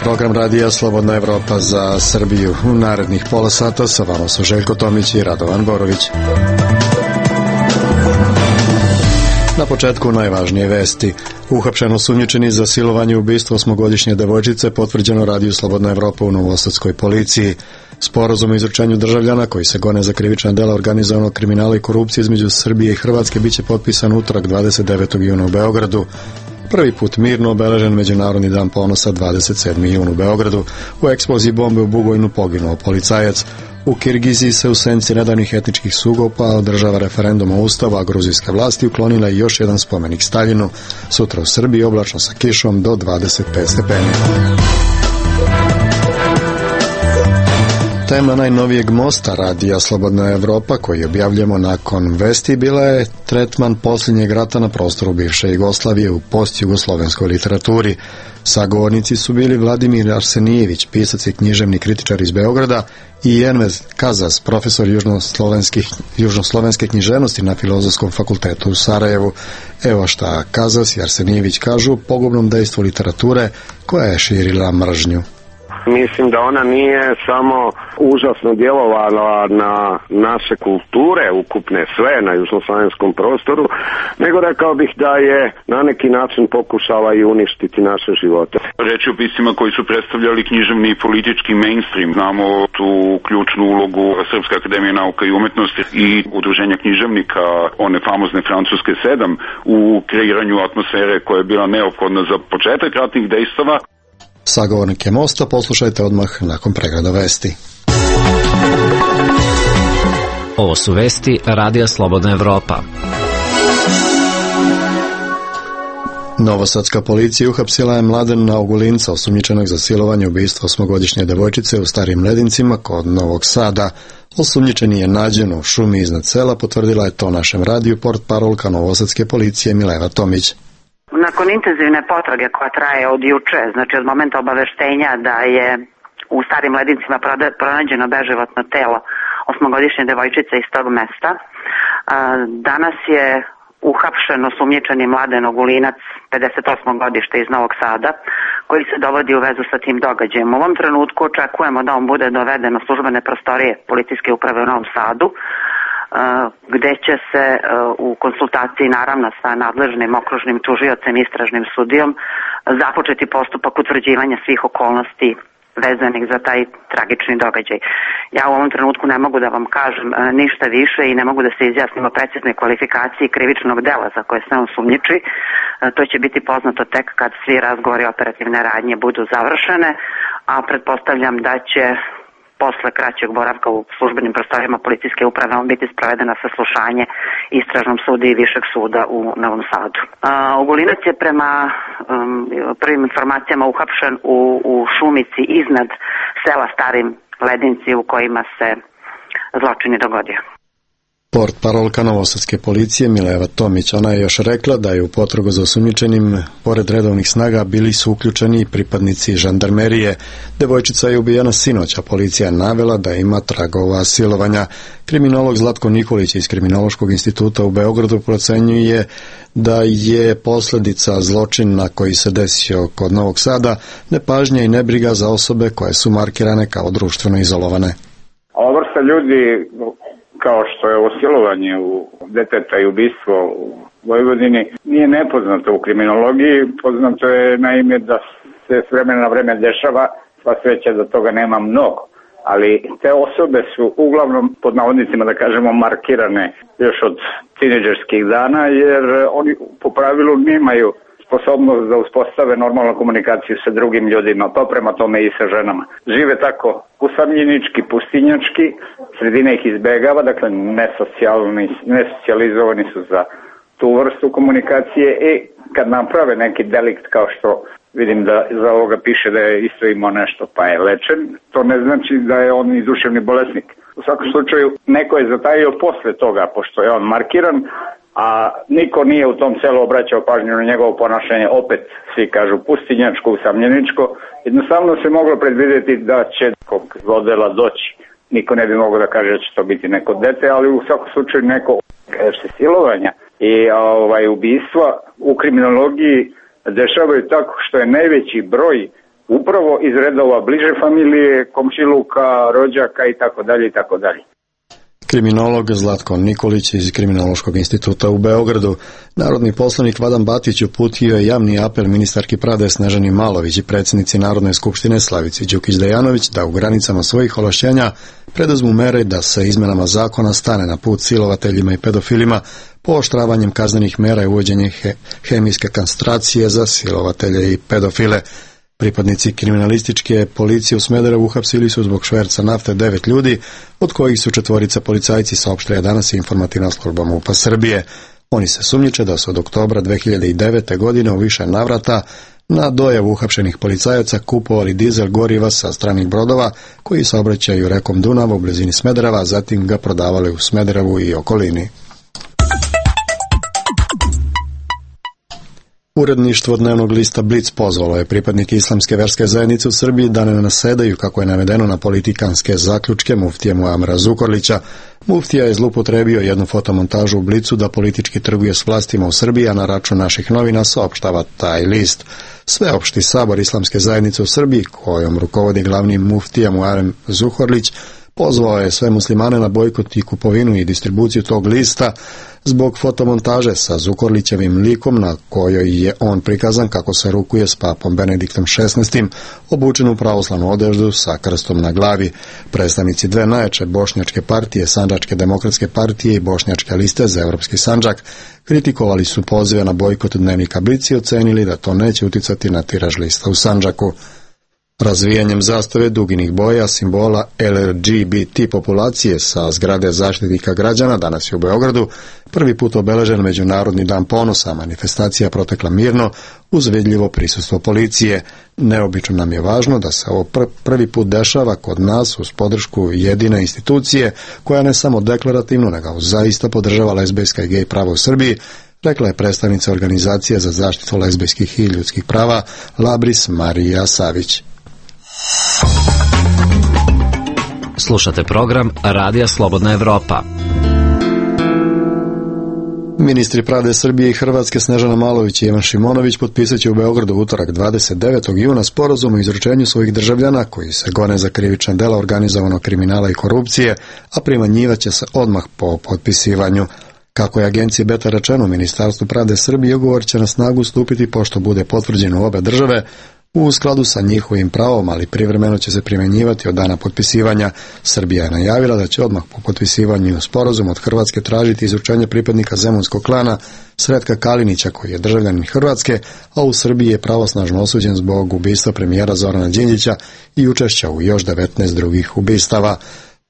program radija Slobodna Evropa za Srbiju. U narednih pola sata sa vama su Željko Tomić i Radovan Borović. Na početku najvažnije vesti. Uhapšen osumnjičeni za silovanje i ubistvo 8-godišnje devojčice potvrđeno radiju Slobodna Evropa u novosadskoj policiji. Sporazum o izručenju državljana koji se gone za krivična dela organizovanog kriminala i korupcije između Srbije i Hrvatske biće potpisan utorak 29. juna u Beogradu. Prvi put mirno obeležen Međunarodni dan ponosa 27. jun u Beogradu. U eksploziji bombe u Bugojnu poginuo policajac. U Kirgiziji se u senci nedavnih etničkih sukoba održava referendum o Ustavu, a gruzijske vlasti uklonila i još jedan spomenik Staljinu. Sutra u Srbiji oblačno sa kišom do 25 stepeni. Tema najnovijeg mosta radija Slobodna Evropa koji objavljamo nakon vesti bila je tretman posljednjeg rata na prostoru bivše Jugoslavije u postjugoslovenskoj literaturi. Sagovornici su bili Vladimir Arsenijević, pisac i književni kritičar iz Beograda, i Envez Kazas, profesor južnoslovenske književnosti na Filozofskom fakultetu u Sarajevu. Evo šta Kazas i Arsenijević kažu o pogubnom dejstvu literature koja je širila mržnju. Mislim da ona nije samo užasno djelovala na naše kulture, ukupne sve na južnoslovenskom prostoru, nego rekao bih da je na neki način pokušala i uništiti naše živote. Reč je o piscima koji su predstavljali književni i politički mainstream. Znamo tu ključnu ulogu Srpske akademije nauka i umetnosti i udruženja književnika, one famozne francuske 7, u kreiranju atmosfere koja je bila neophodna za početak ratnih dejstava. Sagovornike mosta poslušajte odmah nakon pregleda vesti. Ovo su vesti Radija Slobodna Evropa. Novosadska policija uhapsila je Mladena Ogulinca, osumnjičenog za silovanje i ubistvo 8-godišnje devojčice u Starim Ledincima kod Novog Sada. Osumnjičeni je nađen u šumi iznad sela, potvrdila je to našem radiju portparolka Novosadske policije Mileva Tomić. Nakon intenzivne potrage koja traje od juče, znači od momenta obaveštenja da je u Starim Ledincima pronađeno beživotno telo 8-godišnje devojčice iz tog mesta, danas je uhapšen osumnjičeni Mladen Ogulinac, 58. godište iz Novog Sada, koji se dovodi u vezu sa tim događajem. U ovom trenutku očekujemo da on bude doveden u službene prostorije policijske uprave u Novom Sadu, gde će se u konsultaciji naravno sa nadležnim okružnim tužiocem i istražnim sudijom započeti postupak utvrđivanja svih okolnosti vezanih za taj tragični događaj. Ja u ovom trenutku ne mogu da vam kažem ništa više i ne mogu da se izjasnim o preciznoj kvalifikaciji krivičnog dela za koje se on sumnjiči. To će biti poznato tek kad svi razgovori i operativne radnje budu završene, a pretpostavljam da će posle kraćeg boravka u službenim prostorijama policijske uprave on biti sprovedeno saslušanje istražnom sudu i višeg suda u Novom Sadu. Ogulinac je prema prvim informacijama uhapšen u šumici iznad sela Starim Ledinci u kojima se zločin je dogodio. Portparolka Novosadske policije Mileva Tomić, ona je još rekla da je u potragu za osumnjičenim pored redovnih snaga bili su uključeni i pripadnici žandarmerije. Devojčica je ubijena sinoć, a policija je navela da ima tragova silovanja. Kriminolog Zlatko Nikolić iz Kriminološkog instituta u Beogradu procenjuje da je posljedica zločina koji se desio kod Novog Sada nepažnja i nebriga za osobe koje su markirane kao društveno izolovane. Ova vrsta ljudi, kao što je osilovanje u deteta i ubistvo u Vojvodini, nije nepoznato u kriminologiji. Poznato je naime da se s vremena na vreme dešava, sva sreća da toga nema mnogo. Ali te osobe su uglavnom, pod navodnicima da kažemo, markirane još od tinejdžerskih dana, jer oni po pravilu nemaju sposobnost da uspostave normalnu komunikaciju sa drugim ljudima, pa prema tome i sa ženama. Žive tako usamljenički, pustinjački, sredina ih izbegava, dakle nesocijalizovani su za tu vrstu komunikacije i kad naprave neki delikt kao što vidim da za ovoga piše da je isto imao nešto pa je lečen, to ne znači da je on i duševni bolesnik. U svakom slučaju neko je zatajio posle toga, pošto je on markiran, a niko nije u tom selu obraćao pažnju na njegovo ponašanje, opet svi kažu pustinjačko, usamljeničko. Jednostavno se moglo predvidjeti da će nekog zlodela doći. Niko ne bi mogao da kaže da će to biti neko dete, ali u svakom slučaju neko se silovanja i ubistva u kriminologiji dešavaju tako što je najveći broj upravo iz redova bliže familije, komšiluka, rođaka i tako dalje i tako dalje. Kriminolog Zlatko Nikolić iz Kriminološkog instituta u Beogradu. Narodni poslanik Vladan Batić uputio je javni apel ministarki pravde Snežani Malović i predsjednici Narodne skupštine Slavici Đukić-Dejanović da u granicama svojih ovlašćenja preduzmu mere da se izmenama zakona stane na put silovateljima i pedofilima, pooštravanjem kaznenih mera i uvođenje hemijske kastracije za silovatelje i pedofile. Pripadnici kriminalističke policije u Smederevu uhapsili su zbog šverca nafte 9 ljudi, od kojih su 4 policajci, saopštila danas informativna služba MUP-a Srbije. Oni se sumnjiče da su od oktobra 2009. godine u više navrata na dojavu uhapšenih policajaca kupovali dizel goriva sa stranih brodova koji saobraćaju rekom Dunava u blizini Smedereva, zatim ga prodavali u Smederevu i okolini. Uredništvo dnevnog lista Blic pozvalo je pripadnike islamske verske zajednice u Srbiji da ne nasedaju, kako je navedeno, na politikanske zaključke muftije Muamera Zukorlića. Muftija je zloupotrebio jednu fotomontažu u Blicu da politički trguje s vlastima u Srbiji, a na račun naših novina saopštava taj list. Sveopšti sabor islamske zajednice u Srbiji, kojom rukovodi glavni muftija Muamer Zukorlić, pozvao je sve muslimane na bojkot i kupovinu i distribuciju tog lista zbog fotomontaže sa Zukorlićevim likom na kojoj je on prikazan kako se rukuje s papom Benediktom XVI, obučen u pravoslavnu odeždu sa krstom na glavi. Predstavnici dve najjače bošnjačke partije, Sandžačke demokratske partije i Bošnjačke liste za Evropski Sandžak, kritikovali su pozive na bojkot dnevnika Blic i ocenili da to neće uticati na tiraž lista u Sandžaku. Razvijanjem zastave duginih boja, simbola LGBT populacije sa zgrade Zaštitnika građana danas je u Beogradu prvi put obeležen Međunarodni dan ponosa. Manifestacija protekla mirno uz vidljivo prisustvo policije. Neobično nam je važno da se ovo prvi put dešava kod nas uz podršku jedine institucije koja ne samo deklarativno nego zaista podržava lezbejska i gej prava u Srbiji, rekla je predstavnica Organizacije za zaštitu lezbejskih i ljudskih prava Labris Marija Savić. Slušate program Radija Slobodna Evropa. Ministri pravde Srbije i Hrvatske Snežana Malović i Ivan Šimonović potpisat će u Beogradu utorak 29. juna sporazum o izručenju svojih državljana koji se gone za krivična dela organizovanog kriminala i korupcije, a primanjivaće se odmah po potpisivanju. Kako je agenciji Beta rečeno, Ministarstvu pravde Srbije ugovor će na snagu stupiti pošto bude potvrđeno u obe države u skladu sa njihovim pravom, ali privremeno će se primjenjivati od dana potpisivanja. Srbija je najavila da će odmah po potpisivanju sporazuma od Hrvatske tražiti izručenje pripadnika zemunskog klana Sretka Kalinića, koji je državljanin Hrvatske, a u Srbiji je pravosnažno osuđen zbog ubistva premijera Zorana Đinđića i učešća u još 19 drugih ubistava.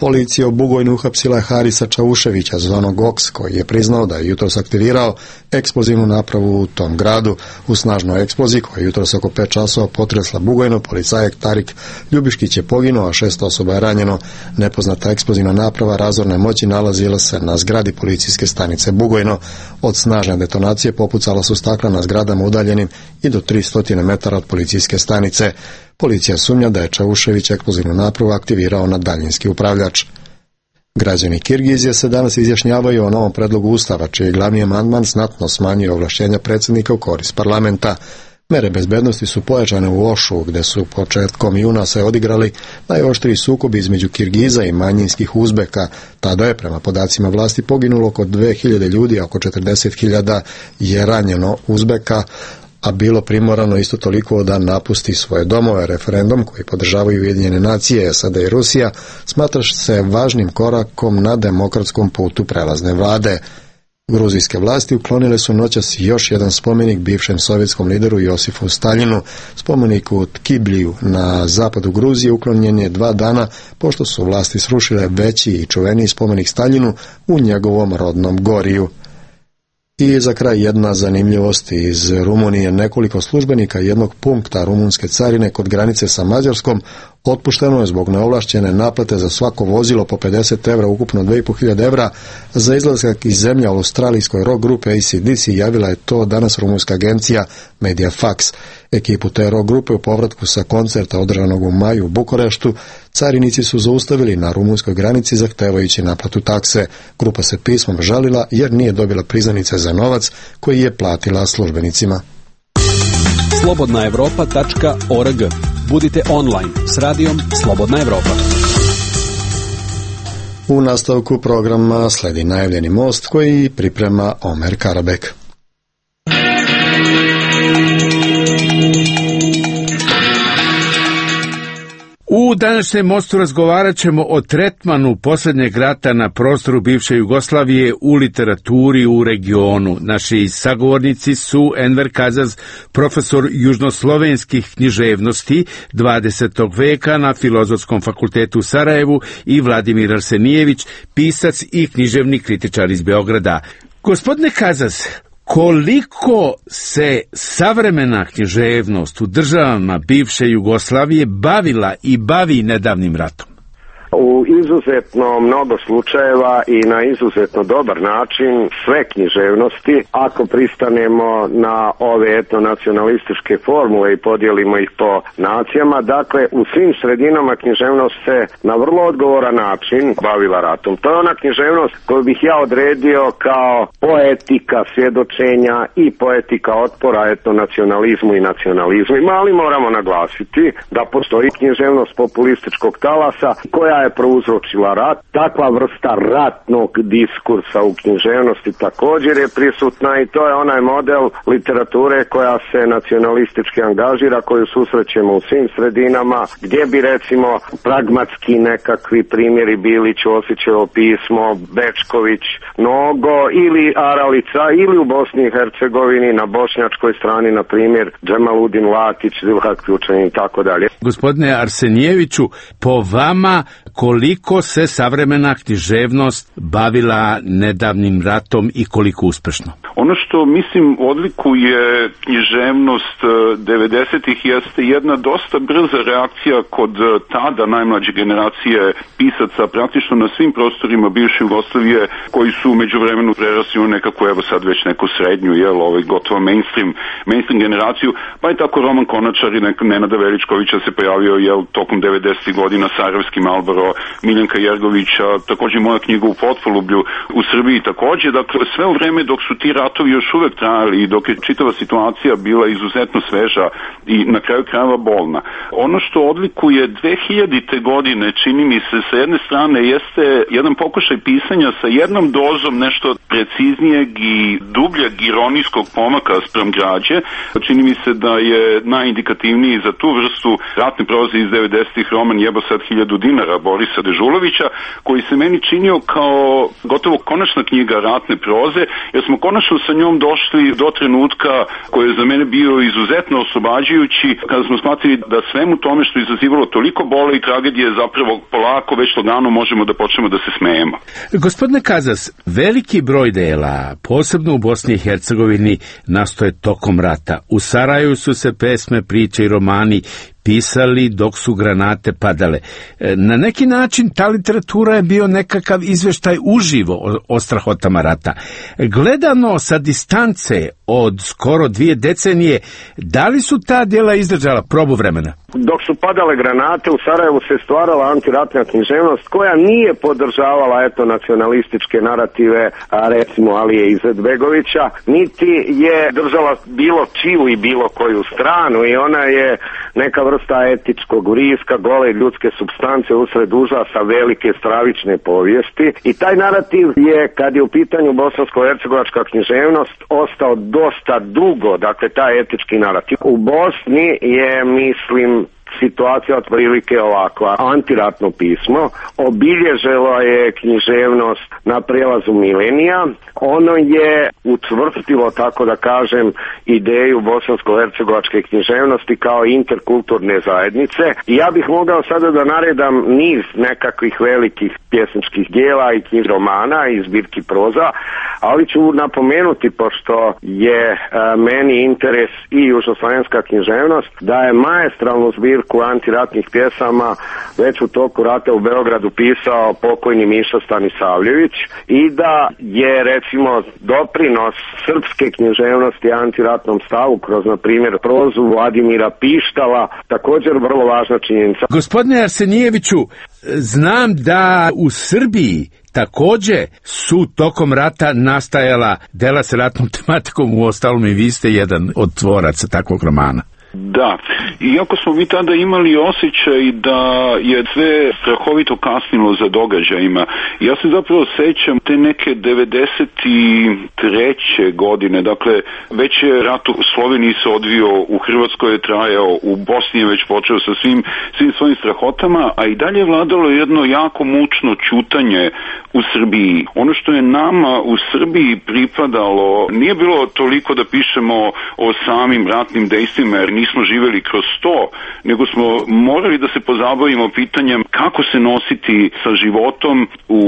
Policija u Bugojnu uhapsila je Harisa Čauševića, zvanog Oks, koji je priznao da je jutros aktivirao eksplozivnu napravu u tom gradu. U snažnoj eksploziji koja je jutros oko 5 časova potresla Bugojno, policajak Tarik Ljubiškić je poginuo, a 6 osoba je ranjeno. Nepoznata eksplozivna naprava razorne moći nalazila se na zgradi policijske stanice Bugojno. Od snažne detonacije popucala su stakla na zgradama udaljenim i do 300 metara od policijske stanice. Policija sumnja da je Čaušević eksplozivnu napravu aktivirao na daljinski upravljač. Građani Kirgizije se danas izjašnjavaju o novom predlogu ustava, čiji glavni amandman znatno smanjuje ovlašćenja predsjednika u korist parlamenta. Mere bezbednosti su pojačane u Ošu, gde su početkom juna se odigrali najoštriji sukobi između Kirgiza i manjinskih Uzbeka. Tada je, prema podacima vlasti, poginulo oko 2000 ljudi, a oko 40.000 je ranjeno Uzbeka, a bilo primorano isto toliko da napusti svoje domove. Referendum koji podržavaju Ujedinjene nacije, SAD i Rusija smatra se važnim korakom na demokratskom putu prelazne vlade. Gruzijske vlasti uklonile su noćas još jedan spomenik bivšem sovjetskom lideru Josifu Staljinu. Spomenik u Tkibliju na zapadu Gruzije uklonjen je 2 dana pošto su vlasti srušile veći i čuveniji spomenik Staljinu u njegovom rodnom Goriju. I za kraj jedna zanimljivost iz Rumunije. Nekoliko službenika jednog punkta rumunske carine kod granice sa Mađarskom otpušteno je zbog neovlašćene naplate za svako vozilo po 50 evra, ukupno 2500 evra za izlazak iz zemlje. Australijskoj rock grupe AC/DC javila je to danas rumunska agencija Mediafax. Ekipu te rock grupe u povratku sa koncerta održanog u maju u Bukureštu carinici su zaustavili na rumunskoj granici zahtevajući naplatu takse. Grupa se pismom žalila jer nije dobila priznanice za novac koji je platila službenicima. slobodnaevropa.org. Budite online s radijom Slobodna Evropa. U nastavku programa sledi najavljeni most koji priprema Omer Karabek. U današnjem mostu razgovarat ćemo o tretmanu posljednjeg rata na prostoru bivše Jugoslavije u literaturi u regionu. Naši sagovornici su Enver Kazaz, profesor južnoslovenskih književnosti 20. veka na Filozofskom fakultetu u Sarajevu, i Vladimir Arsenijević, pisac i književni kritičar iz Beograda. Gospodine Kazaz, koliko se savremena književnost u državama bivše Jugoslavije bavila i bavi nedavnim ratom? U izuzetno mnogo slučajeva i na izuzetno dobar način sve književnosti, ako pristanemo na ove etnonacionalističke formule i podijelimo ih po nacijama, dakle u svim sredinama književnost se na vrlo odgovoran način bavila ratom. To je ona književnost koju bih ja odredio kao poetika svjedočenja i poetika otpora etnonacionalizmu i nacionalizmu. Ali moramo naglasiti da postoji književnost populističkog talasa koja je prouzročila rat. Takva vrsta ratnog diskursa u književnosti također je prisutna i to je onaj model literature koja se nacionalistički angažira, koju susrećemo u svim sredinama, gdje bi recimo pragmatski nekakvi primjeri bili Ćosićevo pismo, Bečković, Nogo ili Aralica, ili u Bosni i Hercegovini na bošnjačkoj strani na primjer Džemaludin Latić, Zilhak Ključanin i tako dalje. Gospodine Arsenijeviću, po vama koliko se savremena književnost bavila nedavnim ratom i koliko uspešno? Ono što mislim odlikuje književnost 90-ih jeste jedna dosta brza reakcija kod tada najmlađe generacije pisaca praktično na svim prostorima bivše Jugoslavije, koji su međuvremenu prerasli u nekako, evo sad već neku srednju, gotovo mainstream generaciju, pa je tako Roman Konačar i Nenada Veličkovića se pojavio tokom 90-ih godina, Sarajevski Malboro, Miljenka Jergovića, također moja knjiga U potpolublju u Srbiji također. Dakle, sve u vreme dok su ti ratovi još uvek trajali i dok je čitava situacija bila izuzetno sveža i na kraju krajeva bolna. Ono što odlikuje 2000. godine, čini mi se, sa jedne strane jeste jedan pokušaj pisanja sa jednom dozom nešto preciznijeg i dubljeg ironijskog pomaka spram građe. Čini mi se da je najindikativniji za tu vrstu ratne proze iz 90-ih roman Jebo sad 1000 dinara Borisa Dežulovića, koji se meni činio kao gotovo konačna knjiga ratne proze, jer smo konačno sa njom došli do trenutka koji je za mene bio izuzetno oslobađajući, kada smo shvatili da svemu tome što je izazivalo toliko bole i tragedije zapravo polako već lagano možemo da počnemo da se smejemo. Gospodine Kazas, veliki broj dela, posebno u Bosni i Hercegovini, nastoje tokom rata. U Sarajevu su se pesme, priče i romani pisali dok su granate padale. Na neki način ta literatura je bio nekakav izveštaj uživo o strahotama rata. Gledano sa distance od skoro 2 decenije, da li su ta djela izdržala probu vremena? Dok su padale granate, u Sarajevu se stvarala antiratna književnost koja nije podržavala nacionalističke narative, recimo Alije Izetbegovića, niti je držala bilo čiju i bilo koju stranu, i ona je neka vrsta etičkog vriska, gole ljudske supstance usred užasa velike stravične povijesti, i taj narativ je, kad je u pitanju bosansko-hercegovačka književnost, ostao dosta dugo, dakle taj etički narativ. U Bosni je, mislim, situacija otprilike ovakva. Antiratno pismo obilježilo je književnost na prelazu milenija. Ono je učvrstilo, tako da kažem, ideju bosansko-hercegovačke književnosti kao interkulturne zajednice. I ja bih mogao sada da naredam niz nekakvih velikih pjesničkih dijela i knjig romana i zbirki proza, ali ću napomenuti, pošto je meni interes i južnoslovenska književnost, da je maestralnu zbirku antiratnih pjesama već u toku rata u Beogradu pisao pokojni Miša Stanisavljević, i da je recimo doprinos srpske književnosti antiratnom stavu kroz, na primjer, prozu Vladimira Pištala također vrlo važna činjenica. Gospodine Arsenijeviću, znam da u Srbiji također su tokom rata nastajala dela sa ratnom tematikom, u ostalom i vi ste jedan od tvoraca takvog romana. Da, iako smo mi tada imali osjećaj da je sve strahovito kasnilo za događajima, ja se zapravo sećam te neke 93. godine, dakle već je rat u Sloveniji se odvio, u Hrvatskoj je trajao, u Bosni je već počeo sa svim svojim strahotama, a i dalje je vladalo jedno jako mučno ćutanje u Srbiji. Ono što je nama u Srbiji pripadalo nije bilo toliko da pišemo o samim ratnim dejstvima, jer nismo živjeli kroz to, nego smo morali da se pozabavimo pitanjem kako se nositi sa životom u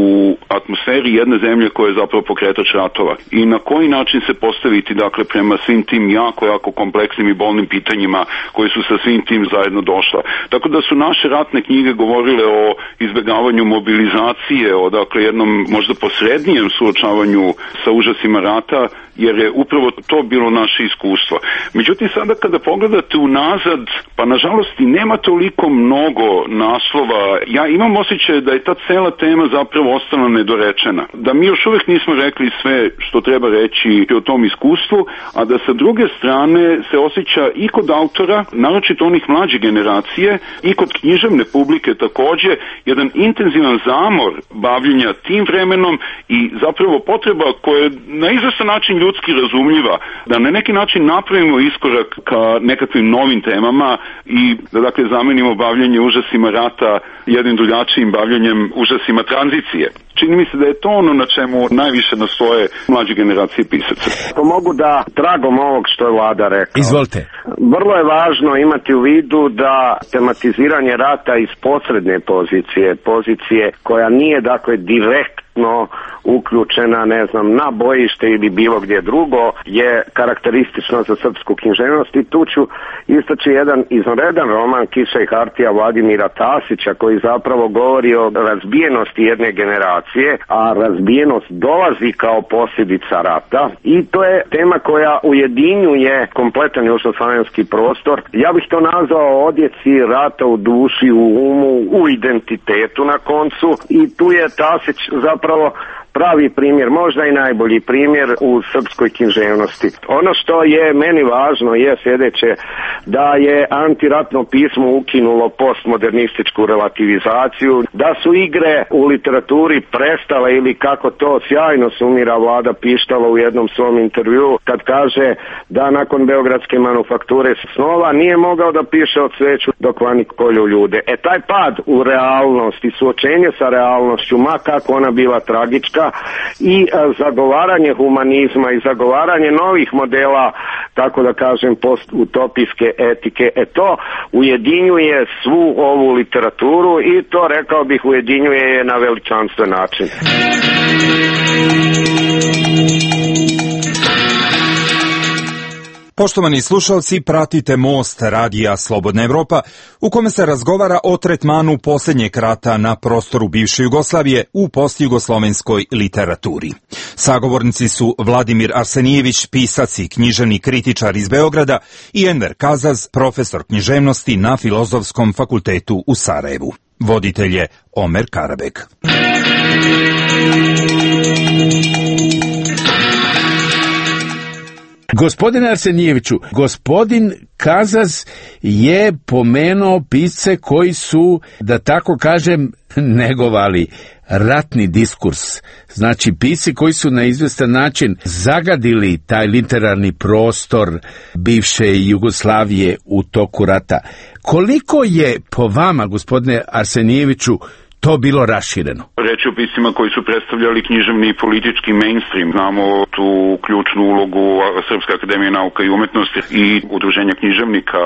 atmosferi jedne zemlje koja je zapravo pokretač ratova i na koji način se postaviti, dakle, prema svim tim jako kompleksnim i bolnim pitanjima koji su sa svim tim zajedno došla. Tako da su naše ratne knjige govorile o izbjegavanju mobilizacije, o, dakle, jednom možda posrednijem suočavanju sa užasima rata, jer je upravo to bilo naše iskustvo. Međutim, sada kada pogledate unazad, pa nažalost i nema toliko mnogo naslova, ja imam osjećaj da je ta cela tema zapravo ostala nedorečena. Da mi još uvijek nismo rekli sve što treba reći o tom iskustvu, a da sa druge strane se osjeća i kod autora, naročito onih mlađe generacije, i kod književne publike također, jedan intenzivan zamor bavljenja tim vremenom i zapravo potreba koja je na izvestan način ljudski razumljiva, da na neki način napravimo iskorak ka nekakvim novim temama i da, dakle, zamenimo bavljenje užasima rata jednim drugačijim bavljenjem užasima tranzicije. Čini mi se da je to ono na čemu najviše nastoje mlađe generacije pisaca. To mogu da tragom ovog što je Vlada rekao. Izvolite. Vrlo je važno imati u vidu da tematiziranje rata iz posredne pozicije koja nije, dakle, direktno uključena, ne znam, na bojište ili bilo gdje drugo, je karakteristično za srpsku književnost. I tu ću istaći jedan izvanredan roman Kiša i hartija Vladimira Tasića, koji zapravo govori o razbijenosti jedne generacije, a razbijenost dolazi kao posljedica rata i to je tema koja ujedinjuje kompletan južnoslavenski prostor. Ja bih to nazvao odjeci rata u duši, u umu, u identitetu na koncu, i tu je Tasić zapravo pravi primjer, možda i najbolji primjer u srpskoj književnosti. Ono što je meni važno je sljedeće, da je antiratno pismo ukinulo postmodernističku relativizaciju, da su igre u literaturi prestale, ili kako to sjajno sumira Vlada Pištala u jednom svom intervjuu, kad kaže da nakon Beogradske manufakture snova nije mogao da piše o cveću dok vani kolju ljude. Taj pad u realnost i suočenje sa realnošću, ma kako ona bila tragička, i zagovaranje humanizma i zagovaranje novih modela, tako da kažem, postutopijske etike, to ujedinjuje svu ovu literaturu i to, rekao bih, ujedinjuje je na veličanstven način. Poštovani slušalci, pratite Most radija Slobodna Evropa, u kome se razgovara o tretmanu posljednjeg rata na prostoru bivše Jugoslavije u postjugoslovenskoj literaturi. Sagovornici su Vladimir Arsenijević, pisac i književni kritičar iz Beograda, i Enver Kazaz, profesor književnosti na Filozofskom fakultetu u Sarajevu. Voditelj je Omer Karabek. Gospodine Arsenijeviću, gospodin Kazaz je pomenuo pisce koji su, da tako kažem, negovali ratni diskurs. Znači, pisci koji su na izvestan način zagadili taj literarni prostor bivše Jugoslavije u toku rata. Koliko je po vama, gospodine Arsenijeviću, to bilo rašireno? Reč o piscima koji su predstavljali književni i politički mainstream. Znamo tu ključnu ulogu Srpske akademije nauka i umetnosti i udruženja književnika,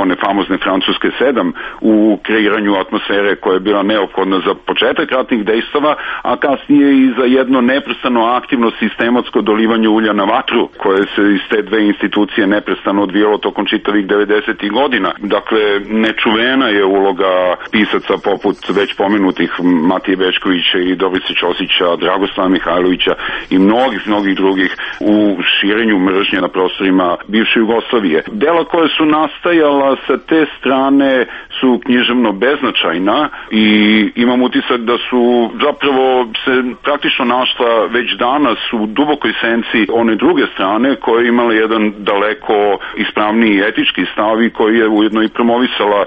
one famozne francuske 7, u kreiranju atmosfere koja je bila neophodna za početak ratnih dejstava, a kasnije i za jedno neprestano aktivno sistematsko dolivanje ulja na vatru, koje se iz te dve institucije neprestano odvijalo tokom čitavih 90. godina. Dakle, nečuvena je uloga pisaca poput već pomenutih Matije Bečkovića i Dobrice Ćosića, Dragoslava Mihajlovića i mnogih drugih u širenju mržnje na prostorima bivše Jugoslavije. Dela koje su nastajala sa te strane su književno beznačajna i imam utisak da su zapravo se praktično našla već danas u dubokoj senci one druge strane koja je imala jedan daleko ispravniji etički stav i koji je ujedno i promovisala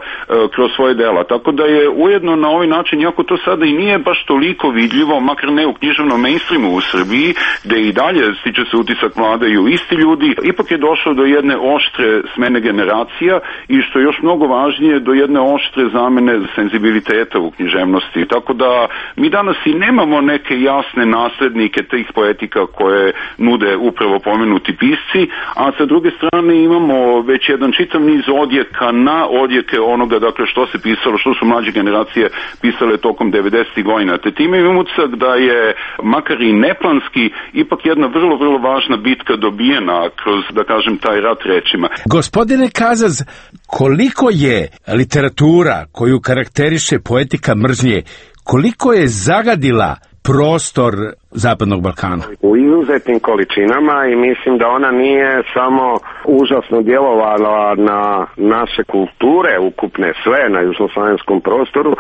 kroz svoje dela. Tako da je ujedno na ovaj način, iako to sada i nije baš toliko vidljivo, makar ne u književnom mainstreamu u Srbiji, gde i dalje stiče se utisak vladaju isti ljudi, ipak je došlo do jedne oštre smene generacija i što je još mnogo važnije, do jedne oštre zamene senzibiliteta u književnosti. Tako da mi danas i nemamo neke jasne naslednike tih poetika koje nude upravo pomenuti pisci, a sa druge strane imamo već jedan čitav niz odjeka na odjeke onoga, dakle, što se pisalo, što su mlađe generacije pisale tokom 90. godina. Te time imam utisak da je, makar i neplanski, ipak jedna vrlo, vrlo važna bitka dobijena kroz, da kažem, taj rat rečima. Gospodine Kazaz, koliko je literatura koju karakteriše poetika mržnje, koliko je zagadila prostor Zapadnog Balkana? U izuzetnim količinama i mislim da ona nije samo užasno djelovala na naše kulture, ukupne sve na južnoslavenskom prostoru,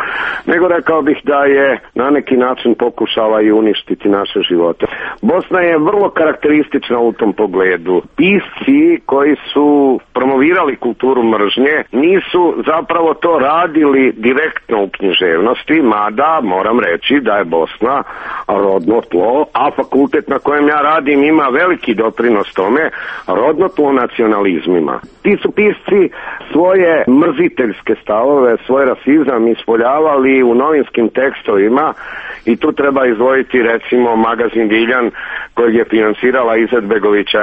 nego rekao bih da je na neki način pokušala i uništiti naše živote. Bosna je vrlo karakteristična u tom pogledu. Pisci koji su promovirali kulturu mržnje nisu zapravo to radili direktno u književnosti, mada moram reći da je Bosna rodno tlo, a fakultet na kojem ja radim ima veliki doprinos tome, rodno tlo nacionalizmima. Ti su pisci svoje mrziteljske stavove, svoj rasizam ispoljavali u novinskim tekstovima i tu treba izdvojiti recimo magazin Viljan kojeg je finansirala Izetbegovića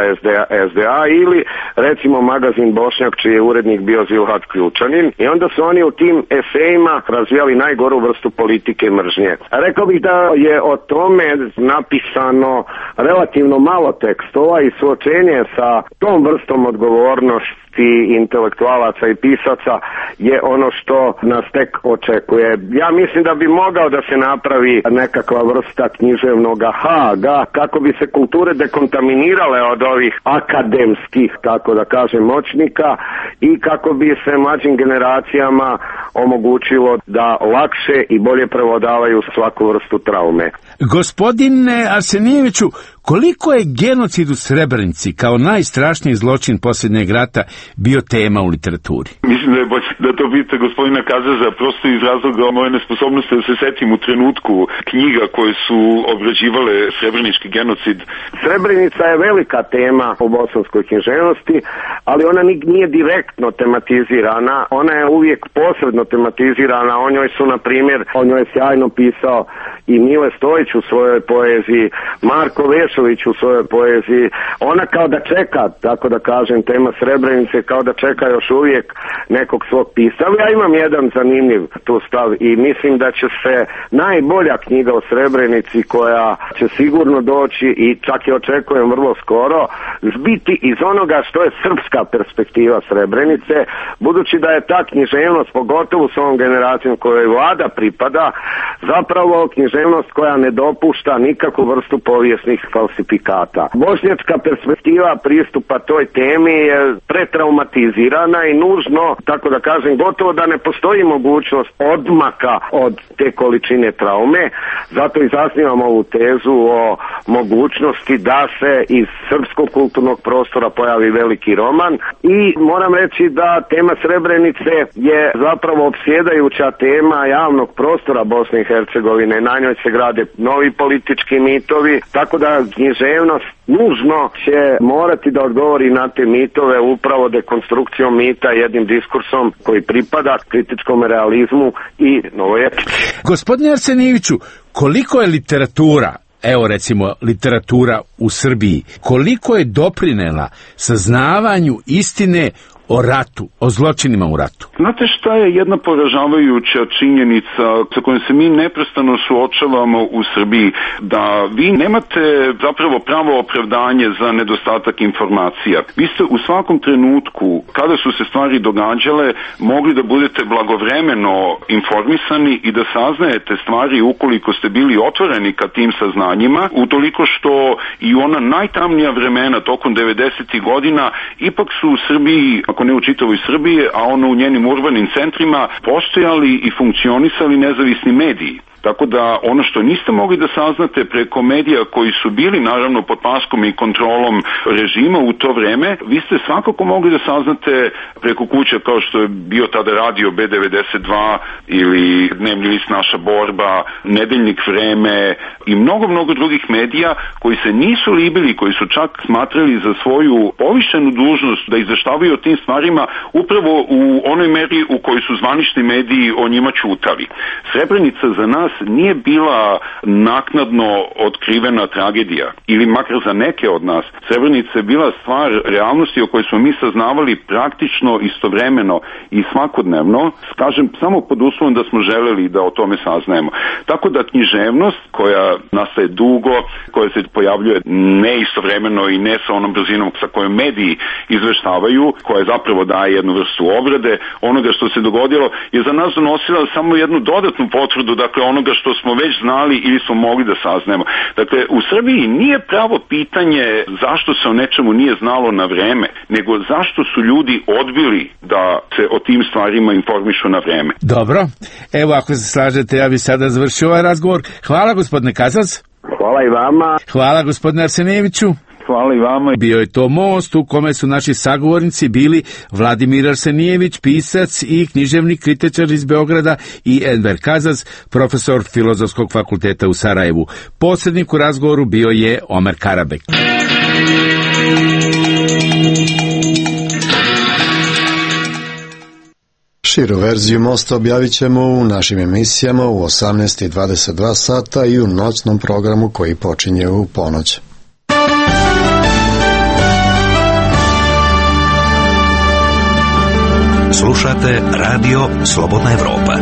SDA ili recimo magazin Bošnjak čiji je urednik bio Zilhat Ključanin i onda su oni u tim esejima razvijali najgoru vrstu politike mržnje. Rekao bih da je o tome napisano relativno malo tekstova i suočenje sa tom vrstom odgovornosti intelektualaca i pisaca je ono što nas tek očekuje. Ja mislim da bi mogao da se napravi nekakva vrsta književnog Haga kako bi se kulture dekontaminirale od ovih akademskih, tako da kažem, moćnika i kako bi se mlađim generacijama omogućilo da lakše i bolje prevladavaju svaku vrstu traume. Gospodine Arsenijeviću, koliko je genocid u Srebrenici kao najstrašniji zločin posljednjeg rata bio tema u literaturi? Mislim da je bolje da to vidite gospodina Kazaza, prosto iz razloga moje nesposobnosti da se setim u trenutku knjiga koje su obrađivale srebrenički genocid. Srebrenica je velika tema u bosanskoj književnosti, ali ona nije direktno tematizirana, ona je uvijek posredno tematizirana, o njoj su, na primjer, o njoj je sjajno pisao i Mile Stojić u svojoj poeziji, Marko Vešović u svojoj poeziji, ona kao da čeka, tako da kažem, tema Srebrenice kao da čeka još uvijek nekog svog pisca. Ja imam jedan zanimljiv tu stav i mislim da će se najbolja knjiga o Srebrenici koja će sigurno doći i čak je očekujem vrlo skoro, zbiti iz onoga što je srpska perspektiva Srebrenice, budući da je ta književnost, pogotovo s ovom generacijom kojoj vlada pripada, zapravo književnost koja ne dopušta nikakvu vrstu povijesnih falsifikata. Bošnjačka perspektiva pristupa toj temi je pretraumatizirana i nužno, tako da kažem, gotovo da ne postoji mogućnost odmaka od te količine traume, zato i zasnivamo ovu tezu o mogućnosti da se iz srpskog kulturnog prostora pojavi veliki roman i moram reći da tema Srebrenice je zapravo opsjedajuća tema javnog prostora Bosne i Hercegovine, na njoj se grade novi politički mitovi, tako da književnost nužno će morati da odgovori na te mitove upravo dekonstrukcijom mita, jednim diskursom koji pripada kritičkom realizmu i novoj etici. Gospodine Arsenijeviću, koliko je literatura, evo recimo literatura u Srbiji, koliko je doprinela saznavanju istine o ratu, o zločinima u ratu? Znate šta je jedna poražavajuća činjenica sa kojom se mi neprestano suočavamo u Srbiji, da vi nemate zapravo pravo opravdanje za nedostatak informacija. Vi ste u svakom trenutku, kada su se stvari događale, mogli da budete blagovremeno informisani i da saznajete stvari ukoliko ste bili otvoreni ka tim saznanjima, utoliko što i ona najtamnija vremena tokom 90. godina ipak su u Srbiji ako ne u čitavoj Srbiji, a ono u njenim urbanim centrima, postojali i funkcionisali nezavisni mediji. Tako da ono što niste mogli da saznate preko medija koji su bili naravno pod paskom i kontrolom režima u to vreme, vi ste svakako mogli da saznate preko kuće kao što je bio tada radio B92 ili dnevni list Naša borba, nedeljnik Vreme i mnogo drugih medija koji se nisu libili, koji su čak smatrali za svoju povišenu dužnost da izveštavaju o tim stvarima upravo u onoj meri u kojoj su zvanični mediji o njima ćutali. Srebrenica za nas nije bila naknadno otkrivena tragedija, ili makar za neke od nas. Srebrenica je bila stvar realnosti o kojoj smo mi saznavali praktično istovremeno i svakodnevno, kažem, samo pod uslovom da smo želeli da o tome saznajemo. Tako da književnost koja nastaje dugo, koja se pojavljuje ne istovremeno i ne sa onom brzinom sa kojom mediji izveštavaju, koja zapravo daje jednu vrstu obrade onoga što se dogodilo, je za nas donosila samo jednu dodatnu potvrdu, dakle onoga što smo već znali ili smo mogli da saznemo. Dakle, u Srbiji nije pravo pitanje zašto se o nečemu nije znalo na vreme, nego zašto su ljudi odbili da se o tim stvarima informišu na vreme. Dobro, evo ako se slažete, ja bih sada završio ovaj razgovor. Hvala gospodine Kazac. Hvala i vama. Hvala gospodine Arsenijeviću. Hvala i vama. Bio je to most u kome su naši sagovornici bili Vladimir Arsenijević, pisac i književni kritičar iz Beograda, i Enver Kazac, profesor Filozofskog fakulteta u Sarajevu. Posrednik u razgovoru bio je Omer Karabek. Širu verziju mosta objavit ćemo u našim emisijama u 18:22 sata i u noćnom programu koji počinje u ponoć. Slušate Radio Slobodna Evropa.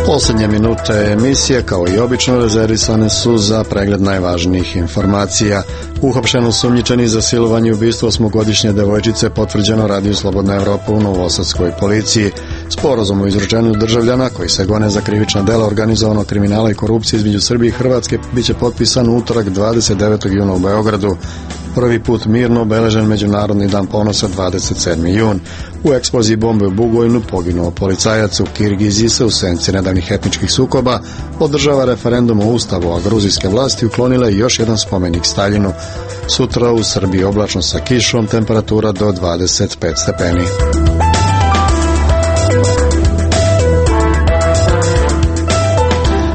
Posljednje minute emisije, kao i obično, rezervisane su za pregled najvažnijih informacija. Uhapšen osumnjičeni za silovanje i ubistvo 8-godišnje devojčice potvrđeno Radio Slobodna Evropa u novosadskoj policiji. Sporazum o izručenju državljana koji se gone za krivična dela organizovanog kriminala i korupcije između Srbije i Hrvatske biće potpisan u utorak 29. juna u Beogradu. Prvi put mirno obeležen Međunarodni dan ponosa 27. jun. U eksploziji bombe u Bugojnu poginuo policajac. U Kirgiziji se u senci nedavnih etničkih sukoba održava referendum o ustavu, a gruzijske vlasti uklonile još jedan spomenik Staljinu. Sutra u Srbiji oblačno sa kišom, temperatura do 25 stepeni.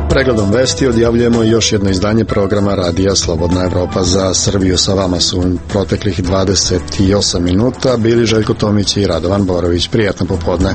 Pregledom vesti odjavljujemo još jedno izdanje programa Radija Slobodna Evropa za Srbiju. Sa vama su proteklih 28 minuta bili Željko Tomić i Radovan Borović. Prijatno popodne.